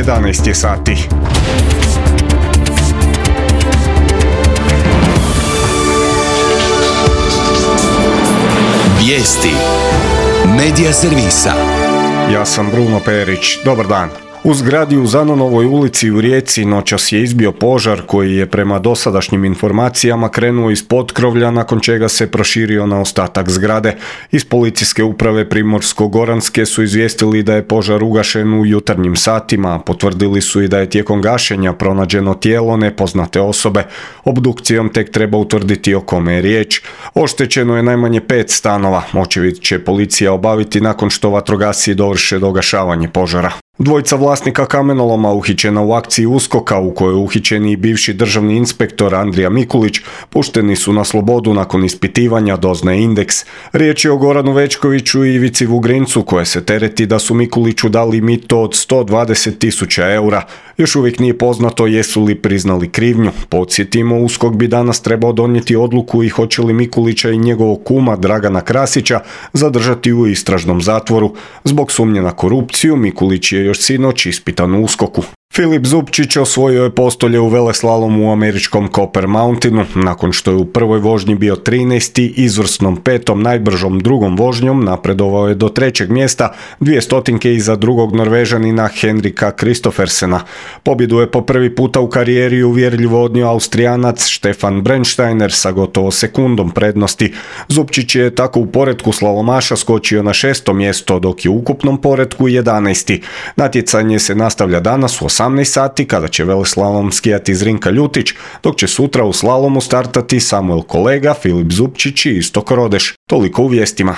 11 je sati. Vijesti Medija servisa. Ja sam Bruno Perić. Dobar dan. U zgradi u Zanonovoj ulici u Rijeci noćas je izbio požar koji je prema dosadašnjim informacijama krenuo iz potkrovlja, nakon čega se proširio na ostatak zgrade. Iz policijske uprave Primorsko-goranske su izvijestili da je požar ugašen u jutarnjim satima, a potvrdili su i da je tijekom gašenja pronađeno tijelo nepoznate osobe. Obdukcijom tek treba utvrditi o kome je riječ. Oštećeno je najmanje 5 stanova. Očevid će policija obaviti nakon što vatrogasci dovrše dogašavanje požara. Dvojica vlasnika kamenoloma uhićena u akciji USKOK-a u kojoj je uhićen i bivši državni inspektor Andrija Mikulić pušteni su na slobodu nakon ispitivanja, doznaje Indeks. Riječ je o Goranu Večkoviću i Ivici Vugrincu koje se tereti da su Mikuliću dali mito od 120.000 eura. Još uvijek nije poznato jesu li priznali krivnju. Podsjetimo, USKOK bi danas trebao donijeti odluku i hoće li Mikulića i njegovog kuma Dragana Krasića zadržati u istražnom zatvoru. Zbog sumnje na korupciju Mikulić je još sinoć ispitan u USKOK-u. Filip Zupčić osvojio je postolje u veleslalomu u američkom Copper Mountainu. Nakon što je u prvoj vožnji bio 13. izvrsnom 5. najbržom drugom vožnjom napredovao je do 3. mjesta, 200 iza drugog Norvežanina Henrika Kristoffersena. Pobjedu je po prvi puta u karijeri uvjerljivo odnio Austrijanac Stefan Brennsteiner sa gotovo sekundom prednosti. Zupčić je tako u poretku slalomaša skočio na 6. mjesto, dok je u ukupnom poretku 11. Natjecanje se nastavlja danas u 18 sati kada će veleslalom skijati Zrinka Ljutić, dok će sutra u slalomu startati Samuel Kolega, Filip Zupčić i Istok Rodeš. Toliko u vijestima.